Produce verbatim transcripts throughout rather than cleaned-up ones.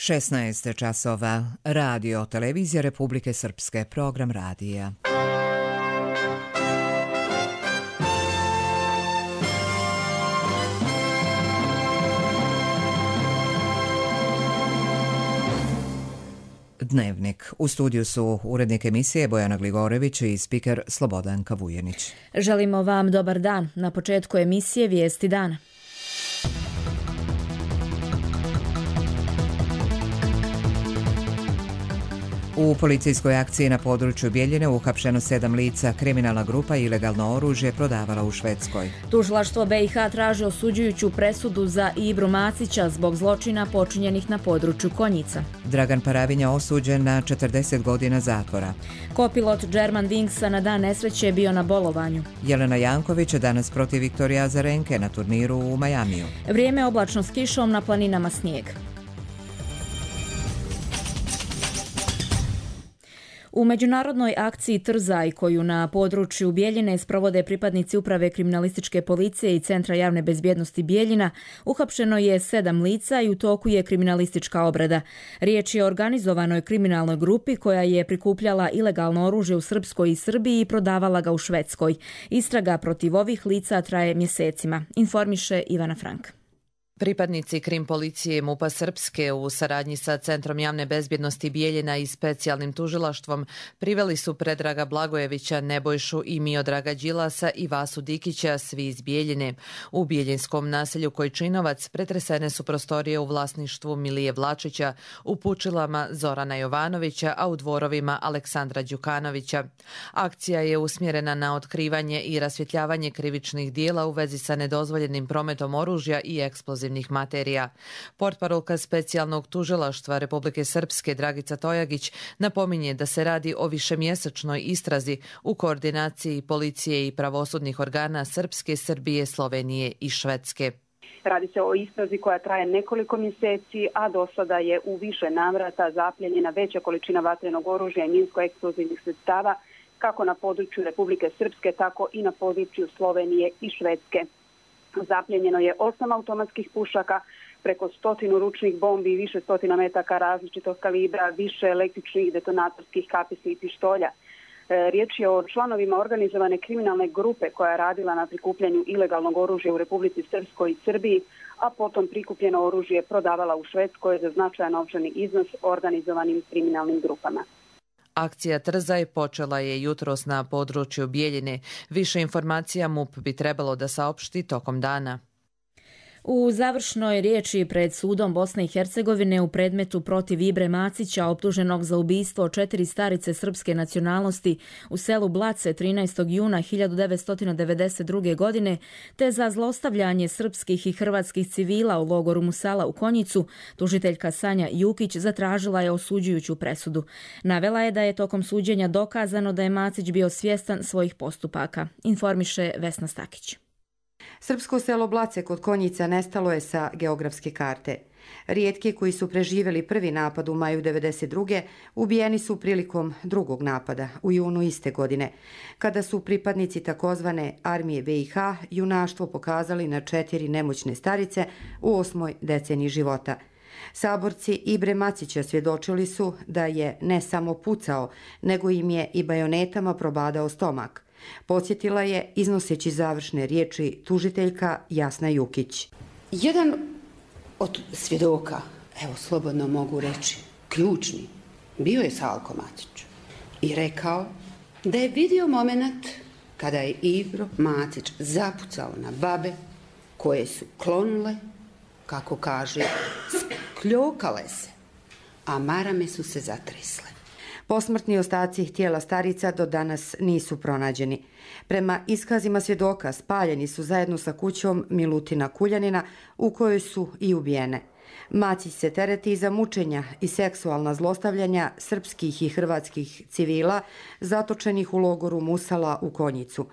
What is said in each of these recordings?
šesnaest časova. Radio, televizija Republike Srpske, program radija. Dnevnik. U studiju su urednik emisije Bojana Gligorević i spiker Slobodanka Vujenić. Želimo vam dobar dan. Na početku emisije Vijesti dana. U policijskoj akciji na području Bjeljine uhapšeno sedam lica. Kriminalna grupa ilegalno oružje prodavala u Švedskoj. Tužilaštvo B i H traži osuđujuću presudu za Ibru Macića zbog zločina počinjenih na području Konjica. Dragan Paravinja osuđen na četrdeset godina zatvora. Kopilot German Wingsa na dan nesreće je bio na bolovanju. Jelena Janković danas protiv Viktorija Azarenke na turniru u Majamiju. Vrijeme oblačno s kišom, na planinama snijeg. U međunarodnoj akciji Trzaj, koju na području Bjeljine sprovode pripadnici Uprave kriminalističke policije i Centra javne bezbjednosti Bjeljina, uhapšeno je sedam lica i u toku je kriminalistička obrada. Riječ je o organizovanoj kriminalnoj grupi koja je prikupljala ilegalno oružje u Srpskoj i Srbiji i prodavala ga u Švedskoj. Istraga protiv ovih lica traje mjesecima, informiše Ivana Frank. Pripadnici krim policije MUP-a Srpske u saradnji sa Centrom javne bezbjednosti Bjeljina i specijalnim tužilaštvom priveli su Predraga Blagojevića, Nebojšu i Miodraga Đilasa i Vasu Dikića, svi iz Bjeljine. U bjeljinskom naselju Kojčinovac pretresene su prostorije u vlasništvu Milije Vlačića, u Pučilama Zorana Jovanovića, a u dvorovima Aleksandra Đukanovića. Akcija je usmjerena na otkrivanje i rasvjetljavanje krivičnih dijela u vezi sa nedozvoljenim prometom oružja i eksplozivnih materija. Portparolka specijalnog tužilaštva Republike Srpske Dragica Tojagić napominje da se radi o višemjesečnoj istrazi u koordinaciji policije i pravosudnih organa Srpske, Srbije, Slovenije i Švedske. Radi se o istrazi koja traje nekoliko mjeseci, a do sada je u više navrata zapljenjena veća količina vatrenog oružja i minsko-eksplozivnih sredstava kako na području Republike Srpske, tako i na području Slovenije i Švedske. Zapljenjeno je osam automatskih pušaka, preko stotinu ručnih bombi, više stotina metaka različitog kalibra, više električnih detonatorskih kapisi i pištolja. E, riječ je o članovima organizovane kriminalne grupe koja je radila na prikupljanju ilegalnog oružja u Republici Srpskoj i Srbiji, a potom prikupljeno oružje prodavala u Švedskoj za značajan novčani iznos organizovanim kriminalnim grupama. Akcija Trzaj počela je jutros na području Bjeljine. Više informacija MUP bi trebalo da saopšti tokom dana. U završnoj riječi pred sudom Bosne i Hercegovine u predmetu protiv Ibre Macića, optuženog za ubistvo četiri starice srpske nacionalnosti u selu Blace trinaestog juna hiljadu devetsto devedeset druge. godine, te za zlostavljanje srpskih i hrvatskih civila u logoru Musala u Konjicu, tužiteljka Sanja Jukić zatražila je osuđujuću presudu. Navela je da je tokom suđenja dokazano da je Macić bio svjestan svojih postupaka, informiše Vesna Stakić. Srpsko selo Blace kod Konjica nestalo je sa geografske karte. Rijetki koji su preživjeli prvi napad u maju devedeset druge. ubijeni su prilikom drugog napada u junu iste godine, kada su pripadnici takozvane armije B i H junaštvo pokazali na četiri nemoćne starice u osmoj deceniji života. Saborci Ibre Macića svjedočili su da je ne samo pucao, nego im je i bajonetama probadao stomak. Podsjetila je, iznoseći završne riječi, tužiteljka Jasna Jukić. Jedan od svjedoka, evo slobodno mogu reći, ključni, bio je Salko Macić i rekao da je vidio moment kada je Ibro Macić zapucao na babe koje su klonule, kako kaže, skljokale se, a marame su se zatresle. Posmrtni ostaci tijela starica do danas nisu pronađeni. Prema iskazima svjedoka spaljeni su zajedno sa kućom Milutina Kuljanina u kojoj su i ubijene. Macić se tereti za mučenja i seksualna zlostavljanja srpskih i hrvatskih civila zatočenih u logoru Musala u Konjicu.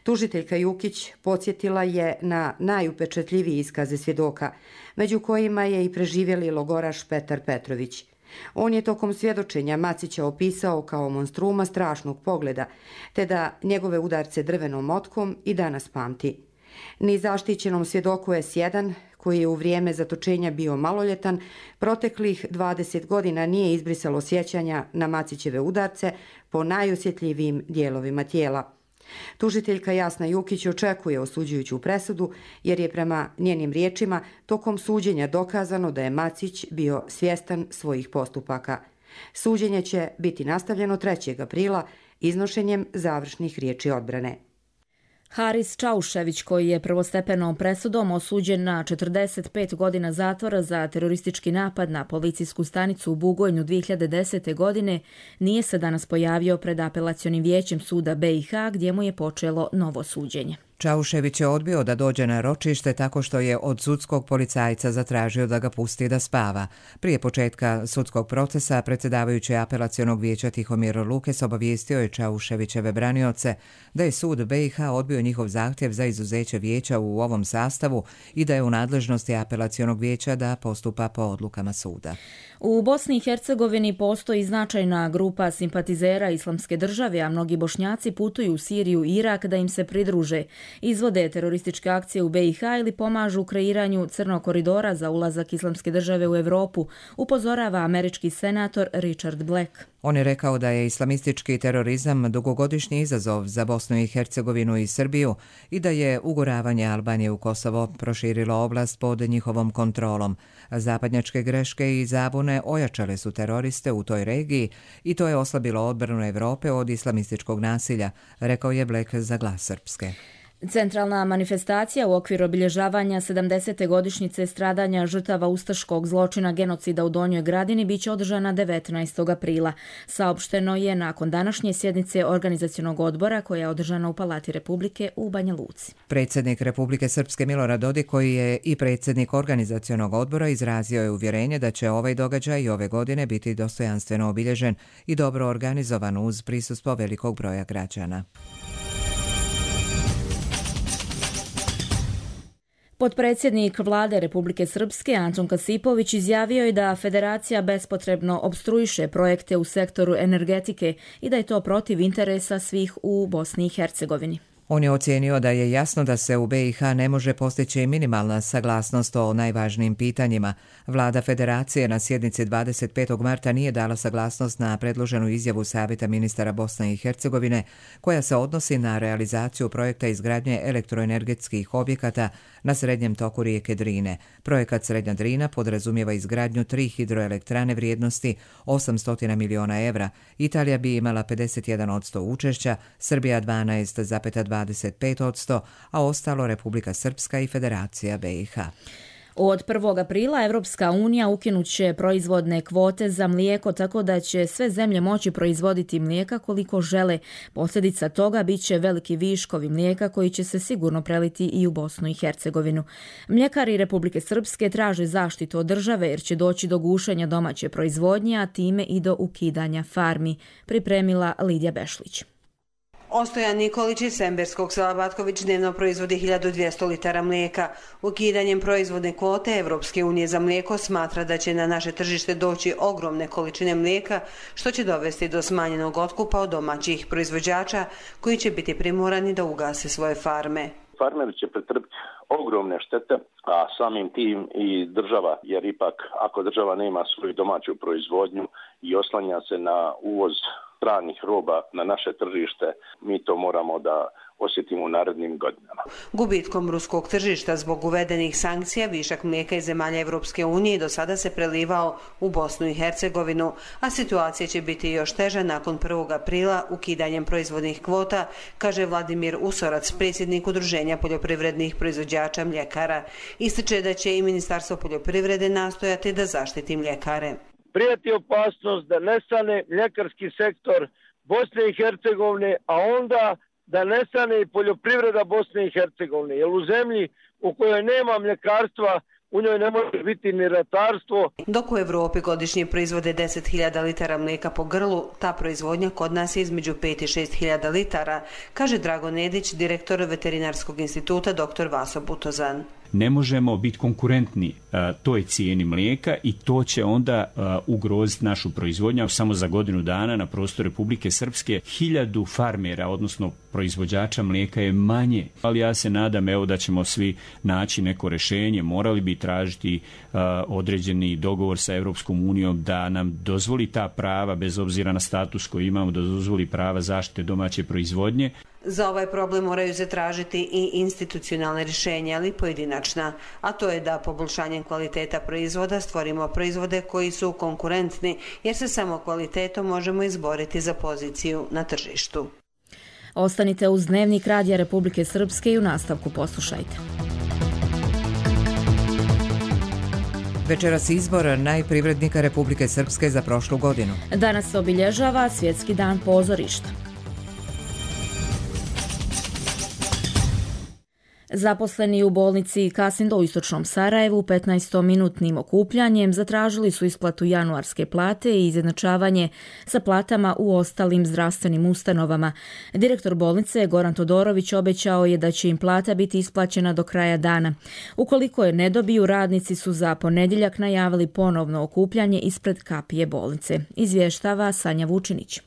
Tužiteljka Jukić podsjetila je na najupečetljivije iskaze svjedoka, među kojima je i preživjeli logoraš Petar Petrović. On je tokom svjedočenja Macića opisao kao monstruma strašnog pogleda, te da njegove udarce drvenom motkom i danas pamti. Ni zaštićenom svjedoku S jedan, koji je u vrijeme zatočenja bio maloljetan, proteklih dvadeset godina nije izbrisalo sjećanja na Macićeve udarce po najosjetljivijim dijelovima tijela. Tužiteljka Jasna Jukić očekuje osuđujuću presudu jer je prema njenim riječima tokom suđenja dokazano da je Macić bio svjestan svojih postupaka. Suđenje će biti nastavljeno trećeg aprila iznošenjem završnih riječi odbrane. Haris Čaušević, koji je prvostepenom presudom osuđen na četrdeset pet godina zatvora za teroristički napad na policijsku stanicu u Bugojnu dvije hiljade desete. godine, nije se danas pojavio pred apelacionim vijećem suda B i H gdje mu je počelo novo suđenje. Čaušević je odbio da dođe na ročište tako što je od sudskog policajca zatražio da ga pusti da spava. Prije početka sudskog procesa predsjedavajući apelacionog vijeća Tihomir Lukes obavijestio je Čauševićeve branioce da je sud B i H odbio njihov zahtjev za izuzeće vijeća u ovom sastavu i da je u nadležnosti apelacionog vijeća da postupa po odlukama suda. U Bosni i Hercegovini postoji značajna grupa simpatizera Islamske države, a mnogi Bošnjaci putuju u Siriju i Irak da im se pridruže, izvode terorističke akcije u B i H ili pomažu u kreiranju crnog koridora za ulazak Islamske države u Europu, upozorava američki senator Richard Black. On je rekao da je islamistički terorizam dugogodišnji izazov za Bosnu i Hercegovinu i Srbiju i da je uguravanje Albanije u Kosovo proširilo oblast pod njihovom kontrolom. Zapadnjačke greške i zabune ojačale su teroriste u toj regiji i to je oslabilo odbranu Europe od islamističkog nasilja, rekao je Black za Glas Srpske. Centralna manifestacija u okviru obilježavanja sedamdesete godišnjice stradanja žrtava ustaškog zločina genocida u Donjoj Gradini biće održana devetnaestog aprila. Saopšteno je nakon današnje sjednice organizacionog odbora koja je održana u Palati Republike u Banja Luci. Predsjednik Republike Srpske Milorad Dodik, koji je i predsjednik organizacionog odbora, izrazio je uvjerenje da će ovaj događaj i ove godine biti dostojanstveno obilježen i dobro organizovan uz prisustvo velikog broja građana. Potpredsjednik vlade Republike Srpske Antun Kasipović izjavio je da federacija bespotrebno opstruiše projekte u sektoru energetike i da je to protiv interesa svih u Bosni i Hercegovini. On je ocijenio da je jasno da se u B i H ne može postići minimalna saglasnost o najvažnijim pitanjima. Vlada Federacije na sjednici dvadeset petog marta nije dala saglasnost na predloženu izjavu Savjeta ministara Bosne i Hercegovine koja se odnosi na realizaciju projekta izgradnje elektroenergetskih objekata na srednjem toku rijeke Drine. Projekat Srednja Drina podrazumijeva izgradnju tri hidroelektrane vrijednosti osamsto miliona evra. Italija bi imala pedeset jedan posto učešća, Srbija dvanaest zarez dvadeset pet posto, a ostalo Republika Srpska i Federacija B i H. Od prvog aprila Evropska unija ukinut će proizvodne kvote za mlijeko tako da će sve zemlje moći proizvoditi mlijeka koliko žele. Posljedica toga bit će veliki viškovi mlijeka koji će se sigurno preliti i u Bosnu i Hercegovinu. Mljekari Republike Srpske traže zaštitu od države jer će doći do gušenja domaće proizvodnje, a time i do ukidanja farmi, pripremila Lidija Bešlić. Ostojan Nikolić iz Semberskog sela Batković dnevno proizvodi hiljadu dvjesto litara mlijeka. Ukidanjem proizvodne kvote Evropske unije za mlijeko smatra da će na naše tržište doći ogromne količine mlijeka, što će dovesti do smanjenog otkupa od domaćih proizvođača koji će biti primorani da ugase svoje farme. Farmeri će pretrpiti ogromne štete, a samim tim i država, jer ipak ako država nema svoju domaću proizvodnju i oslanja se na uvoz stranih roba na naše tržište, mi to moramo da osjetimo u narednim godinama. Gubitkom ruskog tržišta zbog uvedenih sankcija višak mlijeka iz zemalja Evropske unije do sada se prelivao u Bosnu i Hercegovinu, a situacija će biti još teža nakon prvog aprila ukidanjem proizvodnih kvota, kaže Vladimir Usorac, predsjednik Udruženja poljoprivrednih proizvođača mljekara. Ističe da će i Ministarstvo poljoprivrede nastojati da zaštiti mljekare. Prijeti opasnost da nestane mljekarski sektor Bosne i Hercegovine, a onda da nestane i poljoprivreda Bosne i Hercegovine. Jer u zemlji u kojoj nema mljekarstva, u njoj ne može biti ni ratarstvo. Dok u Evropi godišnje proizvode deset hiljada litara mlijeka po grlu, ta proizvodnja kod nas je između pet i šest hiljada litara, kaže Drago Nedić, direktor Veterinarskog instituta doktor Vaso Butozan. ne možemo biti konkurentni toj cijeni mlijeka i to će onda ugroziti našu proizvodnju. Samo za godinu dana na prostoru Republike Srpske hiljadu farmera, odnosno proizvođača mlijeka je manje. Ali ja se nadam evo da ćemo svi naći neko rješenje. Morali bi tražiti uh, određeni dogovor sa Europskom unijom da nam dozvoli ta prava, bez obzira na status koji imamo, da dozvoli prava zaštite domaće proizvodnje. Za ovaj problem moraju se tražiti i institucionalne rješenja, ali pojedinačna, a to je da poboljšanjem kvaliteta proizvoda stvorimo proizvode koji su konkurentni, jer se samo kvalitetom možemo izboriti za poziciju na tržištu. Ostanite uz Dnevnik Radija Republike Srpske i u nastavku poslušajte. Večeras izbor najprivrednika Republike Srpske za prošlu godinu. Danas se obilježava Svjetski dan pozorišta. Zaposleni u bolnici Kasindo u istočnom Sarajevu petnaestominutnim okupljanjem zatražili su isplatu januarske plate i izjednačavanje sa platama u ostalim zdravstvenim ustanovama. Direktor bolnice Goran Todorović obećao je da će im plata biti isplaćena do kraja dana. Ukoliko je ne dobiju, radnici su za ponedjeljak najavili ponovno okupljanje ispred kapije bolnice. Izvještava Sanja Vučinić.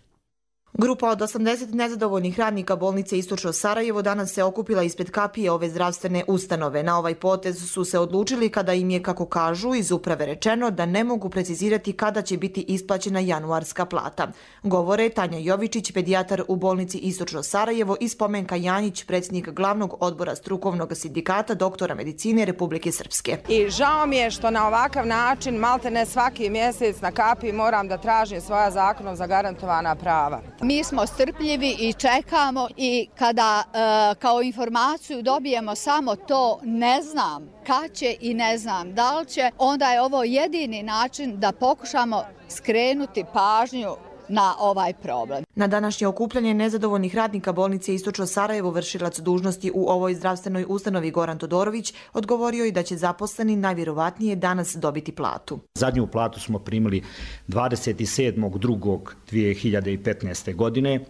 Grupa od osamdeset nezadovoljnih radnika bolnice Istočno Sarajevo danas se okupila ispred kapije ove zdravstvene ustanove. Na ovaj potez su se odlučili kada im je, kako kažu, iz uprave rečeno da ne mogu precizirati kada će biti isplaćena januarska plata. Govore Tanja Jovičić, pedijatar u bolnici Istočno Sarajevo, i Spomenka Janjić, predsjednik glavnog odbora strukovnog sindikata doktora medicine Republike Srpske. I žao mi je što na ovakav način maltene svaki mjesec na kapiji moram da tražim svoja zakonom zagarantovana prava. Mi smo strpljivi i čekamo, i kada e, kao informaciju dobijemo samo to ne znam kad će i ne znam da li će, onda je ovo jedini način da pokušamo skrenuti pažnju na ovaj problem. Na današnje okupljanje nezadovoljnih radnika bolnice Istočno Sarajevo vršilac dužnosti u ovoj zdravstvenoj ustanovi Goran Todorović odgovorio i da će zaposleni najvjerovatnije danas dobiti platu. Zadnju platu smo primili dvadeset sedmog drugog dvije hiljade petnaeste. godine,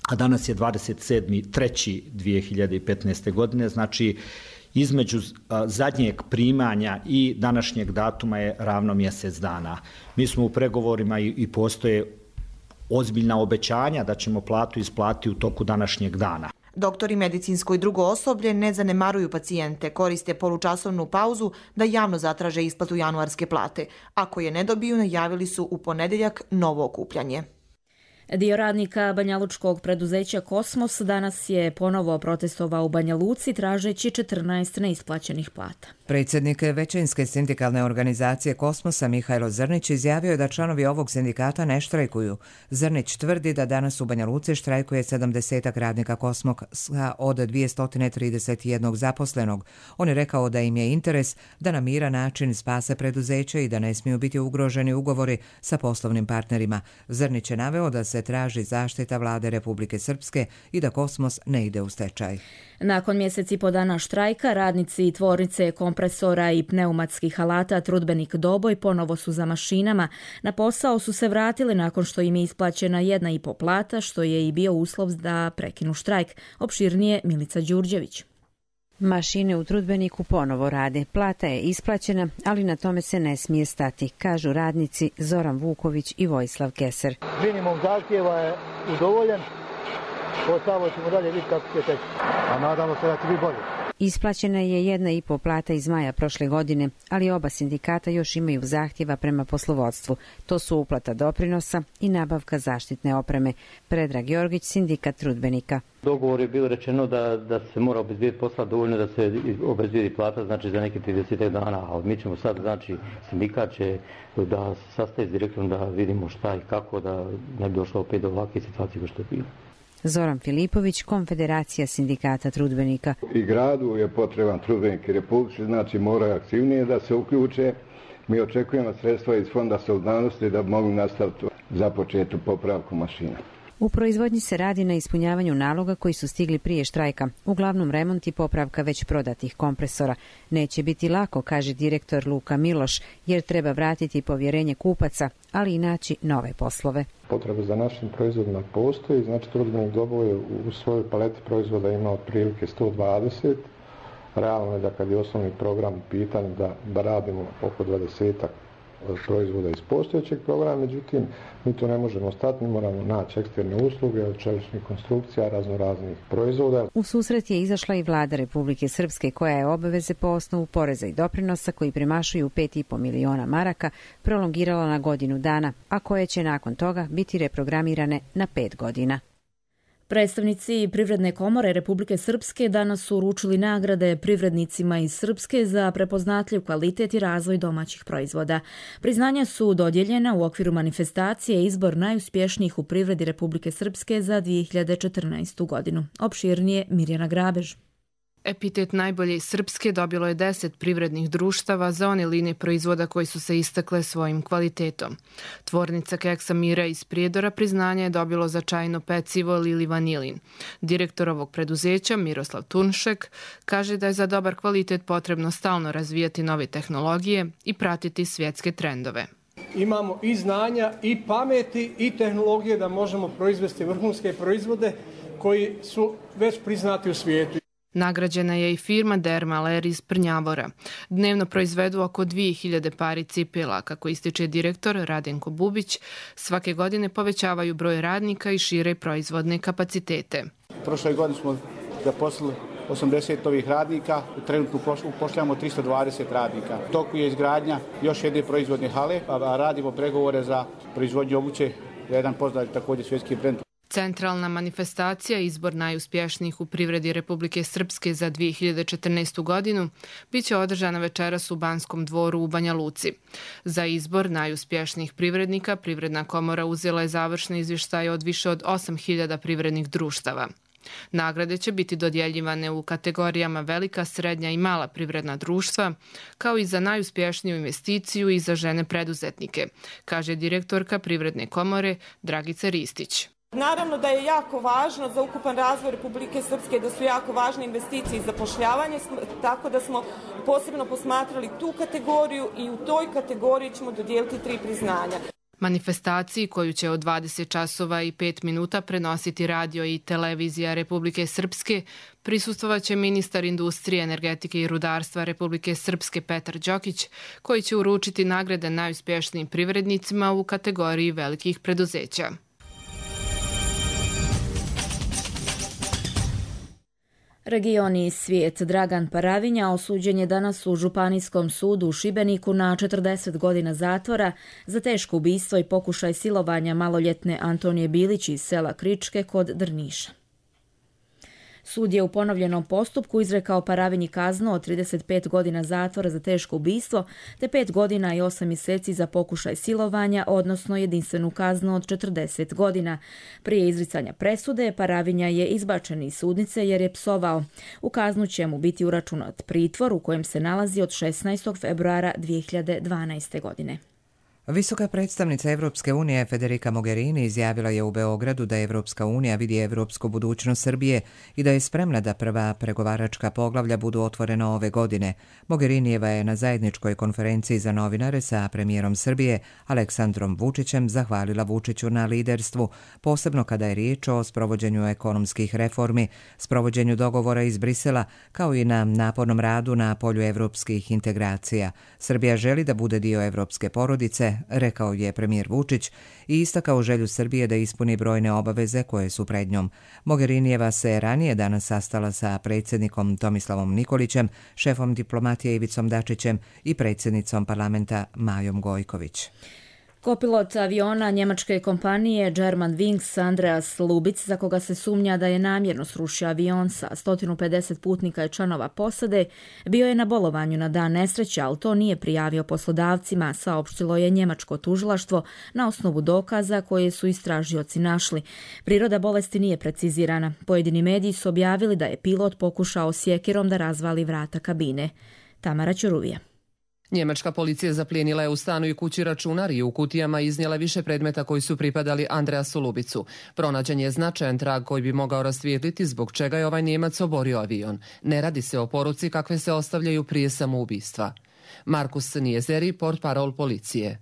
a danas je dvadeset sedmi treći dvije hiljade petnaeste. godine, znači između zadnjeg primanja i današnjeg datuma je ravno mjesec dana. Mi smo u pregovorima i, i postoje ozbiljna obećanja da ćemo platu isplatiti u toku današnjeg dana. Doktori, medicinsko i drugo osoblje ne zanemaruju pacijente, koriste polučasovnu pauzu da javno zatraže isplatu januarske plate. Ako je ne dobiju, najavili su u ponedjeljak novo okupljanje. Dio radnika banjalučkog preduzeća Kosmos danas je ponovo protestovao u Banja Luci tražeći četrnaest neisplaćenih plata. Predsjednik većinske sindikalne organizacije Kosmosa Mihajlo Zrnić izjavio je da članovi ovog sindikata ne štrajkuju. Zrnić tvrdi da danas u Banja Luci štrajkuje sedamdesetak radnika Kosmosa od dvjesto trideset jedan zaposlenog. On je rekao da im je interes da na miran način spase preduzeće i da ne smiju biti ugroženi ugovori sa poslovnim partnerima. Zrnić je naveo da se traži zaštita vlade Republike Srpske i da Kosmos ne ide u stečaj. Nakon mjeseci po dana štrajka, radnici tvornice kompresora i pneumatskih alata Trudbenik Doboj ponovo su za mašinama. Na posao su se vratili nakon što im je isplaćena jedna i po plata, što je i bio uslov da prekinu štrajk. Opširnije Milica Đurđević. Mašine u Trudbeniku ponovo rade. Plata je isplaćena, ali na tome se ne smije stati, kažu radnici Zoran Vuković i Vojislav Keser. Minimum zahtjeva je udovoljen, ostalo ćemo dalje vidjeti kako će teći, a nadamo se da će biti bolje. Isplaćena je jedna i po plata iz maja prošle godine, ali oba sindikata još imaju zahtjeva prema poslovodstvu. To su uplata doprinosa i nabavka zaštitne opreme. Predrag Jorgić, sindikat Trudbenika. Dogovor je bilo rečeno da, da se mora obezbijeti posla dovoljno da se obezbijeti plata, znači za neke trideset dana, ali mi ćemo sad, znači sindikat će da se sastaje s direktorom da vidimo šta i kako, da ne bi došlo opet do ovakve situacije kao što je bilo. Zoran Filipović, Konfederacija sindikata Trudbenika. I gradu je potreban Trudbenik i Republici, znači moraju aktivnije da se uključe. Mi očekujemo sredstva iz Fonda solidarnosti da mogu nastaviti započetu popravku mašina. U proizvodnji se radi na ispunjavanju naloga koji su stigli prije štrajka, uglavnom remont i popravka već prodatih kompresora. Neće biti lako, kaže direktor Luka Miloš, jer treba vratiti povjerenje kupaca, ali i naći nove poslove. Potrebe za našim proizvodima postoji, znači Trudbenik Doboj u svojoj paleti proizvoda ima otprilike sto dvadeset, realno je da kad je osnovni program u pitanju da, da radimo oko dvadesetak proizvoda iz postojećeg programa, međutim mi to ne možemo stati, mi moramo naći eksterne usluge od čeličnih konstrukcija, razno raznih proizvoda. U susret je izašla i vlada Republike Srpske koja je obaveze po osnovu poreza i doprinosa koji premašuju pet i po miliona maraka prolongirala na godinu dana, a koje će nakon toga biti reprogramirane na pet godina. Predstavnici Privredne komore Republike Srpske danas su uručili nagrade privrednicima iz Srpske za prepoznatljiv kvalitet i razvoj domaćih proizvoda. Priznanja su dodijeljena u okviru manifestacije Izbor najuspješnijih u privredi Republike Srpske za dvije hiljade četrnaestu godinu. Opširnije Mirjana Grabež. Epitet najbolje srpske dobilo je deset privrednih društava za one linije proizvoda koji su se istakle svojim kvalitetom. Tvornica keksa Mira iz Prijedora priznanje je dobilo za čajno pecivo Lili Vanilin. Direktor ovog preduzeća Miroslav Tunšek kaže da je za dobar kvalitet potrebno stalno razvijati nove tehnologije i pratiti svjetske trendove. Imamo i znanja i pameti i tehnologije da možemo proizvesti vrhunske proizvode koji su već priznati u svijetu. Nagrađena je i firma Dermaler iz Prnjavora. Dnevno proizvedu oko dvije hiljade pari cipela, kako ističe direktor Radenko Bubić. Svake godine povećavaju broj radnika i šire proizvodne kapacitete. Prošle godine smo zaposlili osamdeset ovih radnika, trenutno upošljavamo tristo dvadeset radnika. U toku je izgradnja još jedne proizvodne hale, a radimo pregovore za proizvodnju obuće, jedan poznat također svjetski brend. Centralna manifestacija Izbor najuspješnijih u privredi Republike Srpske za dvije hiljade četrnaestu godinu biće održana večeras u Banskom dvoru u Banja Luci. Za izbor najuspješnijih privrednika Privredna komora uzela je završne izvještaje od više od osam hiljada privrednih društava. Nagrade će biti dodjeljivane u kategorijama velika, srednja i mala privredna društva, kao i za najuspješniju investiciju i za žene preduzetnike, kaže direktorka Privredne komore Dragica Ristić. Naravno da je jako važno za ukupan razvoj Republike Srpske, da su jako važne investicije i zapošljavanje, tako da smo posebno posmatrali tu kategoriju i u toj kategoriji ćemo dodijeliti tri priznanja. Manifestaciji koju će od dvadeset časova i pet minuta prenositi radio i televizija Republike Srpske prisustvovat će ministar industrije, energetike i rudarstva Republike Srpske Petar Đokić, koji će uručiti nagrade najuspješnijim privrednicima u kategoriji velikih preduzeća. Regioni i svijet. Dragan Paravinja osuđen je danas u Županijskom sudu u Šibeniku na četrdeset godina zatvora za teško ubistvo i pokušaj silovanja maloljetne Antonije Bilić iz sela Kričke kod Drniša. Sud je u ponovljenom postupku izrekao Paravinji kaznu od trideset pet godina zatvora za teško ubistvo te pet godina i osam mjeseci za pokušaj silovanja, odnosno jedinstvenu kaznu od četrdeset godina. Prije izricanja presude Paravinja je izbačen iz sudnice jer je psovao. U kaznu će mu biti uračunat pritvor u kojem se nalazi od šesnaestog februara dvije hiljade dvanaeste. godine. Visoka predstavnica Evropske unije Federica Mogherini izjavila je u Beogradu da Evropska unija vidi evropsku budućnost Srbije i da je spremna da prva pregovaračka poglavlja budu otvorena ove godine. Mogherinijeva je na zajedničkoj konferenciji za novinare sa premijerom Srbije Aleksandrom Vučićem zahvalila Vučiću na liderstvu, posebno kada je riječ o sprovođenju ekonomskih reformi, sprovođenju dogovora iz Brisela, kao i na napornom radu na polju evropskih integracija. Srbija želi da bude dio evropske porodice, rekao je premijer Vučić i istakao želju Srbije da ispuni brojne obaveze koje su pred njom. Mogherinijeva se ranije danas sastala sa predsjednikom Tomislavom Nikolićem, šefom diplomatije Ivicom Dačićem i predsjednicom parlamenta Majom Gojković. Kopilot aviona njemačke kompanije Germanwings Andreas Lubic, za koga se sumnja da je namjerno srušio avion sa sto pedeset putnika i članova posade, bio je na bolovanju na dan nesreće, ali to nije prijavio poslodavcima, saopštilo je njemačko tužilaštvo na osnovu dokaza koje su istražioci našli. Priroda bolesti nije precizirana. Pojedini mediji su objavili da je pilot pokušao sjekirom da razvali vrata kabine. Tamara Ćuruvija. Njemačka policija zaplijenila je u stanu i kući računar i u kutijama iznijela više predmeta koji su pripadali Andreasu Lubicu. Pronađen je značajan trag koji bi mogao rasvijetliti zbog čega je ovaj Njemac oborio avion. Ne radi se o poruci kakve se ostavljaju prije samoubistva. Markus Nijezeri, portparol policije.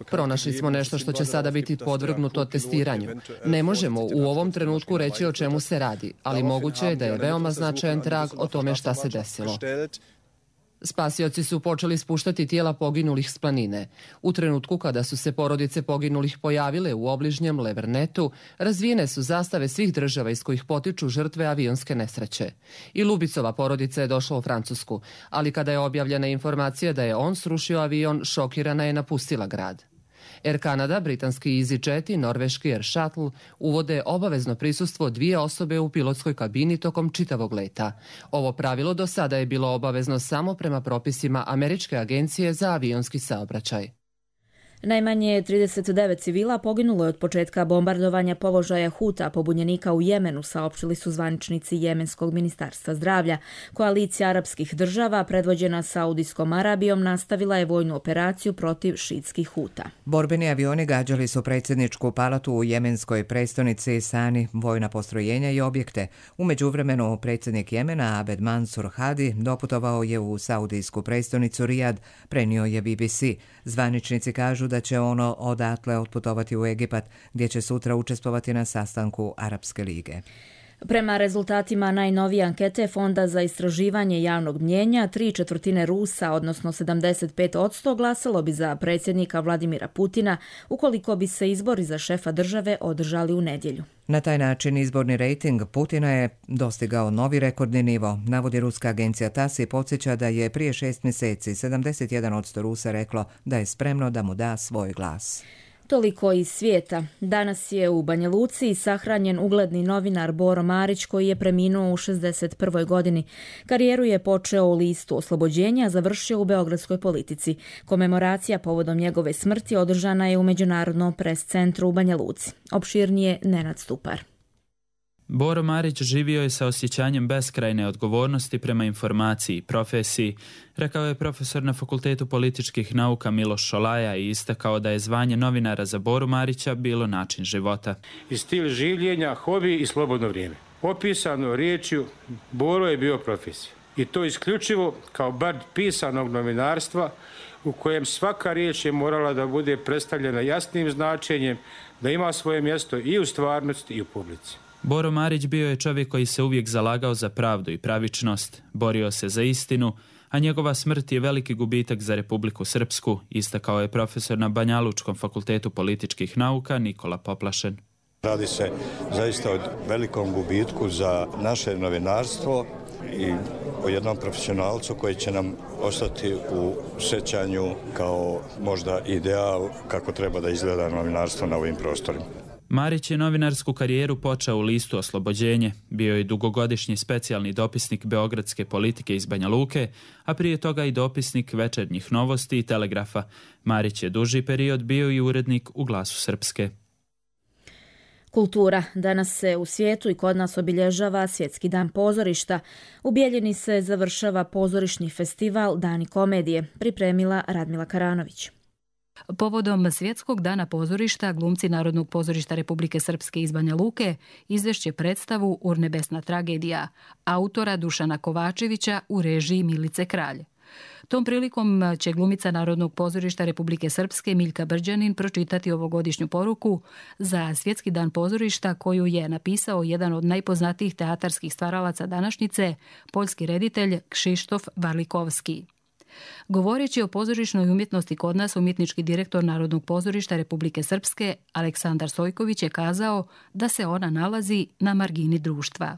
Pronašli smo nešto što će sada biti podvrgnuto testiranju. Ne možemo u ovom trenutku reći o čemu se radi, ali moguće je da je veoma značajan trag o tome šta se desilo. Spasioci su počeli spuštati tijela poginulih s planine. U trenutku kada su se porodice poginulih pojavile u obližnjem Levernetu, razvijene su zastave svih država iz kojih potiču žrtve avionske nesreće. I Lubicova porodica je došla u Francusku, ali kada je objavljena informacija da je on srušio avion, šokirana je napustila grad. Air Canada, britanski EasyJet i norveški Air Shuttle uvode obavezno prisustvo dvije osobe u pilotskoj kabini tokom čitavog leta. Ovo pravilo do sada je bilo obavezno samo prema propisima Američke agencije za avionski saobraćaj. Najmanje trideset devet civila poginulo je od početka bombardovanja položaja Huta, pobunjenika u Jemenu, saopštili su zvaničnici Jemenskog ministarstva zdravlja. Koalicija arapskih država, predvođena Saudijskom Arabijom, nastavila je vojnu operaciju protiv šiitskih Huta. Borbeni avioni gađali su predsjedničku palatu u jemenskoj prestonici Sani, vojna postrojenja i objekte. U međuvremenu predsjednik Jemena Abed Mansur Hadi doputovao je u saudijsku prestonicu Rijad, prenio je B B C. Zvaničnici kažu da će ono odatle otputovati u Egipat, gdje će sutra učestvovati na sastanku Arapske lige. Prema rezultatima najnovije ankete Fonda za istraživanje javnog mnijenja, tri četvrtine Rusa, odnosno sedamdeset pet posto, glasalo bi za predsjednika Vladimira Putina ukoliko bi se izbori za šefa države održali u nedjelju. Na taj način izborni rejting Putina je dostigao novi rekordni nivo, navodi ruska agencija TASS i podsjeća da je prije šest mjeseci sedamdeset jedan posto Rusa reklo da je spremno da mu da svoj glas. Toliko iz svijeta. Danas je u Banja Luci sahranjen ugledni novinar Boro Marić, koji je preminuo u šezdeset prvoj godini. Karijeru je počeo u listu Oslobođenja, a završio u beogradskoj politici. Komemoracija povodom njegove smrti održana je u Međunarodnom pres centru u Banja Luci. Opširnije Nenad Stupar. Boro Marić živio je sa osjećanjem beskrajne odgovornosti prema informaciji i profesiji, rekao je profesor na Fakultetu političkih nauka Miloš Šolaja i istakao da je zvanje novinara za Boru Marića bilo način života. I stil življenja, hobi i slobodno vrijeme. Opisano riječju, Boro je bio profesija. I to isključivo kao bard pisanog novinarstva u kojem svaka riječ je morala da bude predstavljena jasnim značenjem, da ima svoje mjesto i u stvarnosti i u publici. Boro Marić bio je čovjek koji se uvijek zalagao za pravdu i pravičnost, borio se za istinu, a njegova smrt je veliki gubitak za Republiku Srpsku, istakao je profesor na Banjalučkom fakultetu političkih nauka Nikola Poplašen. Radi se zaista o velikom gubitku za naše novinarstvo i o jednom profesionalcu koji će nam ostati u sjećanju kao možda ideal kako treba da izgleda novinarstvo na ovim prostorima. Marić je novinarsku karijeru počeo u listu Oslobođenje, bio je dugogodišnji specijalni dopisnik beogradske politike iz Banja Luke, a prije toga i dopisnik Večernjih novosti i Telegrafa. Marić je duži period bio i urednik u Glasu Srpske. Kultura. Danas se u svijetu i kod nas obilježava Svjetski dan pozorišta. U Bijeljini se završava pozorišni festival Dani komedije, pripremila Radmila Karanović. Povodom Svjetskog dana pozorišta, glumci Narodnog pozorišta Republike Srpske iz Banja Luke izvešće predstavu Urnebesna tragedija, autora Dušana Kovačevića u režiji Milice Kralj. Tom prilikom će glumica Narodnog pozorišta Republike Srpske Miljka Brđanin pročitati ovogodišnju poruku za Svjetski dan pozorišta koju je napisao jedan od najpoznatijih teatarskih stvaralaca današnjice, poljski reditelj Kšištof Varlikovski. Govoreći o pozorišnoj umjetnosti kod nas, umjetnički direktor Narodnog pozorišta Republike Srpske Aleksandar Sojković je kazao da se ona nalazi na margini društva.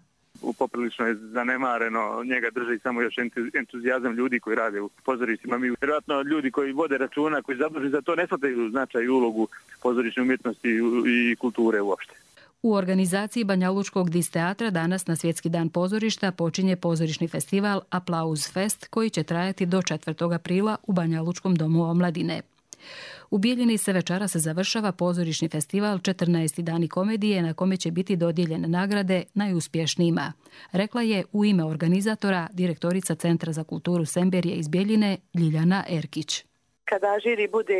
Poprilično je zanemareno, njega drži samo još entuzijazam ljudi koji rade u pozorištima. Mi vjerojatno ljudi koji vode računa, koji zaduženi za to, ne shvataju značaj i ulogu pozorišne umjetnosti i kulture uopšte. U organizaciji Banjalučkog dis teatra danas na Svjetski dan pozorišta počinje pozorišni festival Aplauz Fest koji će trajati do četvrtog aprila u Banjalučkom domu omladine. U Bijeljini se večera se završava pozorišni festival četrnaesti dani komedije na kome će biti dodijeljene nagrade najuspješnijima, rekla je u ime organizatora direktorica Centra za kulturu Semberije iz Bijeljine Ljiljana Erkić. Kada žiri bude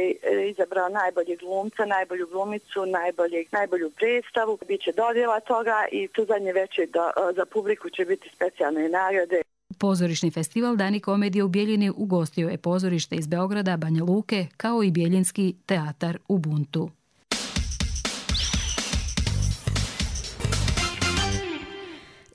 izabrao najboljeg glumca, najbolju glumicu, najboljeg, najbolju predstavu, bit će dodjela toga i tu zadnje večer za publiku će biti specijalne nagrade. Pozorišni festival Dani komedije u Bijeljini ugostio je pozorište iz Beograda, Banja Luke, kao i Bijeljinski teatar Ubuntu.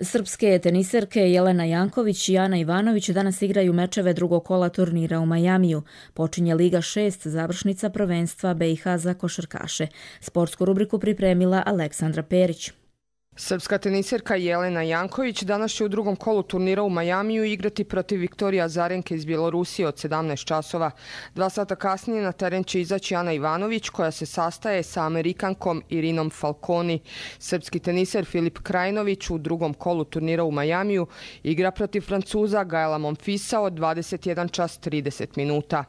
Srpske teniserke Jelena Janković i Ana Ivanović danas igraju mečeve drugog kola turnira u Majamiju. Počinje Liga šest, završnica prvenstva B i H za košarkaše. Sportsku rubriku pripremila Aleksandra Perić. Srpska teniserka Jelena Janković danas će u drugom kolu turnira u Majamiju igrati protiv Viktorije Azarenke iz Bjelorusije od sedamnaest časova. Dva sata kasnije na teren će izaći Ana Ivanović, koja se sastaje sa Amerikankom Irinom Falconi. Srpski teniser Filip Krajinović u drugom kolu turnira u Majamiju igra protiv Francuza Gaela Monfisa od dvadeset jedan čas trideset minuta.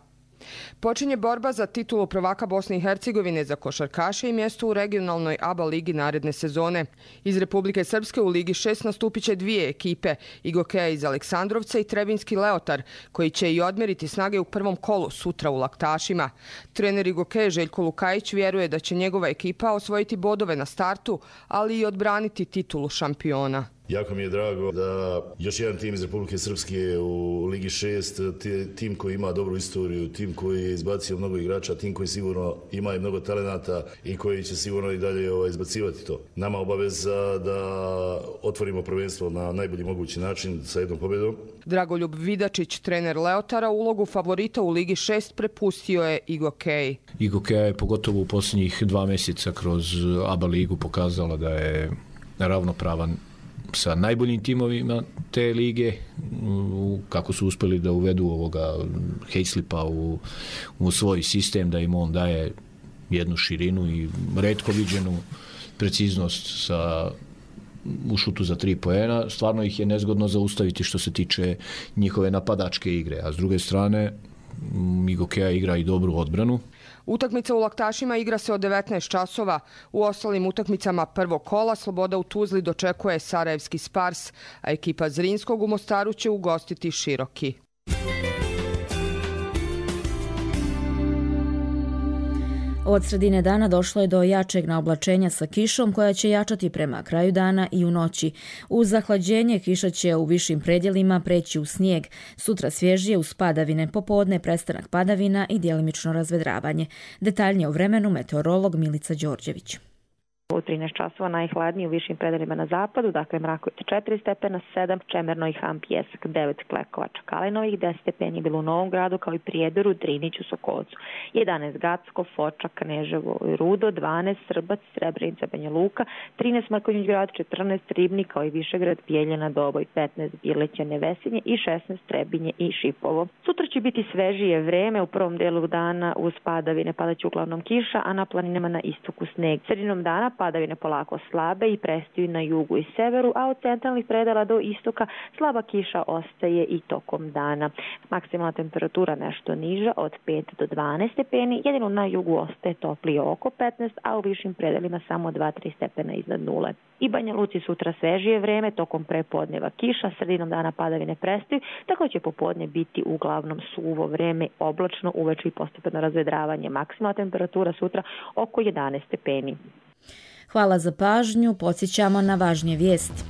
Počinje borba za titulu prvaka Bosne i Hercegovine za košarkaše i mjesto u regionalnoj A B A ligi naredne sezone. Iz Republike Srpske u Ligi šest nastupit će dvije ekipe, Igokeja iz Aleksandrovca i Trebinski Leotar, koji će i odmeriti snage u prvom kolu sutra u Laktašima. Trener Igokeje Željko Lukajić vjeruje da će njegova ekipa osvojiti bodove na startu, ali i odbraniti titulu šampiona. Jako mi je drago da još jedan tim iz Republike Srpske u Ligi šest, tim koji ima dobru istoriju, tim koji je izbacio mnogo igrača, tim koji sigurno ima i mnogo talenata i koji će sigurno i dalje ovaj, izbacivati to. Nama obaveza da otvorimo prvenstvo na najbolji mogući način sa jednom pobjedom. Dragoljub Vidačić, trener Leotara, ulogu favorita u Ligi šest prepustio je Igokeji. Igokeja je pogotovo u posljednjih dva mjeseca kroz A B A ligu pokazala da je ravnopravan sa najboljim timovima te lige, kako su uspjeli da uvedu ovoga Hejslipa u, u svoj sistem, da im on daje jednu širinu i retko viđenu preciznost sa, u šutu za tri poena. Stvarno ih je nezgodno zaustaviti što se tiče njihove napadačke igre, a s druge strane Igokeja igra i dobru odbranu. Utakmica u Laktašima igra se od devetnaest časova. U ostalim utakmicama prvog kola Sloboda u Tuzli dočekuje Sarajevski Spars, a ekipa Zrinskog u Mostaru će ugostiti Široki. Od sredine dana došlo je do jačeg naoblačenja sa kišom koja će jačati prema kraju dana i u noći. Uz zahlađenje kiša će u višim predjelima preći u snijeg. Sutra svježije uz padavine, popodne prestanak padavina i djelimično razvedravanje. Detaljnije o vremenu meteorolog Milica Đorđević. U trinaest časova najhladniji u višim predelima na zapadu, dakle Mrakovica četiri stepena, sedam, Čemerno i Ham Pjesak, devet, Klekovača, Kalinovih, deset stepeni bilo u Novom Gradu kao i Prijedoru, Driniću, Sokolcu, jedanaest Gacko, Foča, Kneževo i Rudo, dvanaest Srbac, Srebrenica, Banja Luka, trinaest Mrkonjić Grad, četrnaest Ribnik kao i Višegrad, Bijeljina, Doboj, petnaest Bileća, Nevesinje i šesnaest Trebinje i Šipovo. Sutra će biti svežije vreme, u prvom delu dana uz padavine padaće uglavnom kiša, a na planinama na istoku sneg. Sredinom dana padavine polako slabe i prestaju na jugu i severu, a od centralnih predela do istoka slaba kiša ostaje i tokom dana. Maksimalna temperatura nešto niža od pet do dvanaest stepeni, jedino na jugu ostaje toplije oko petnaest, a u višim predelima samo dva do tri stepena iznad nule. I Banja Luci sutra svežije vreme, tokom prepodneva kiša, sredinom dana padavine prestaju, tako će popodne biti uglavnom suvo vreme, oblačno, uveče i postepeno razvedravanje. Maksimalna temperatura sutra oko jedanaest stepeni. Hvala za pažnju, podsjećamo na važnije vijesti.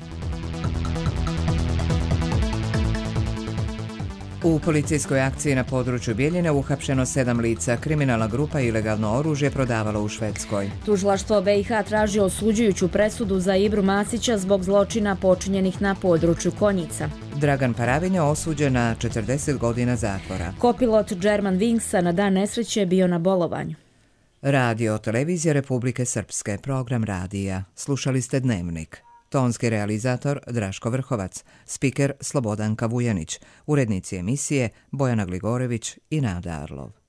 U policijskoj akciji na području Bijeljine uhapšeno sedam lica. Kriminalna grupa ilegalno oružje prodavala u Švedskoj. Tužilaštvo B i H traži osuđujuću presudu za Ibru Masića zbog zločina počinjenih na području Konjica. Dragan Paravin je osuđen na četrdeset godina zatvora. Kopilot German Wingsa na dan nesreće bio na bolovanju. Radio televizija Republike Srpske, program radija. Slušali ste Dnevnik. Tonski realizator Draško Vrhovac, spiker Slobodanka Vujanić, urednici emisije Bojana Gligorević i Nada Arlov.